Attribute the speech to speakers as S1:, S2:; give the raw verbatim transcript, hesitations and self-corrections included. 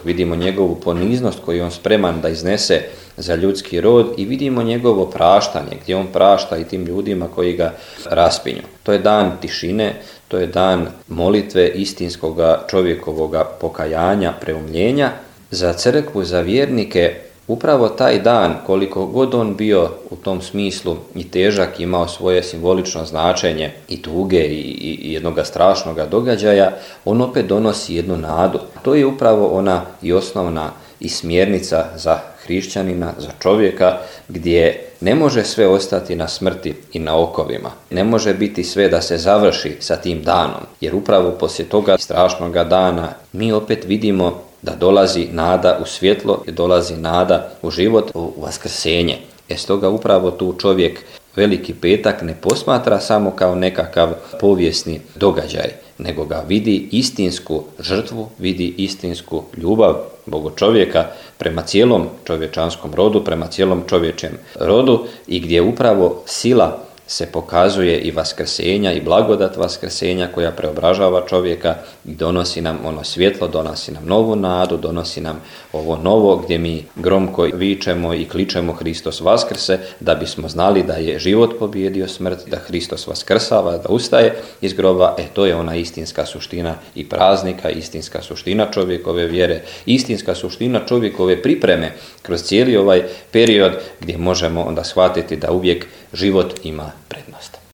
S1: vidimo njegovu poniznost koju on spreman da iznese za ljudski rod i vidimo njegovo praštanje, gdje on prašta i tim ljudima koji ga raspinju. To je dan tišine, to je dan molitve istinskoga čovjekovoga pokajanja, preumljenja. Za crkvu, za vjernike, upravo taj dan, koliko god on bio u tom smislu i težak, imao svoje simbolično značenje i tuge i, i, i jednog strašnog događaja, on opet donosi jednu nadu. To je upravo ona i osnovna i smjernica za hrišćanina, za čovjeka, gdje ne može sve ostati na smrti i na okovima. Ne može biti sve da se završi sa tim danom, jer upravo poslije toga strašnoga dana mi opet vidimo da dolazi nada u svjetlo i dolazi nada u život, u vaskrsenje. E stoga upravo tu čovjek Veliki petak ne posmatra samo kao nekakav povijesni događaj, nego ga vidi istinsku žrtvu, vidi istinsku ljubav Boga čovjeka prema cijelom čovječanskom rodu, prema cijelom čovječem rodu i gdje upravo sila se pokazuje i vaskrsenja i blagodat vaskrsenja koja preobražava čovjeka i donosi nam ono svjetlo, donosi nam novu nadu, donosi nam ovo novo gdje mi gromko vičemo i kličemo Hristos vaskrse, da bismo znali da je život pobijedio smrt, da Hristos vaskrsava, da ustaje iz groba. E to je ona istinska suština i praznika, istinska suština čovjekove vjere, istinska suština čovjekove pripreme kroz cijeli ovaj period gdje možemo onda shvatiti da uvijek život ima prednost.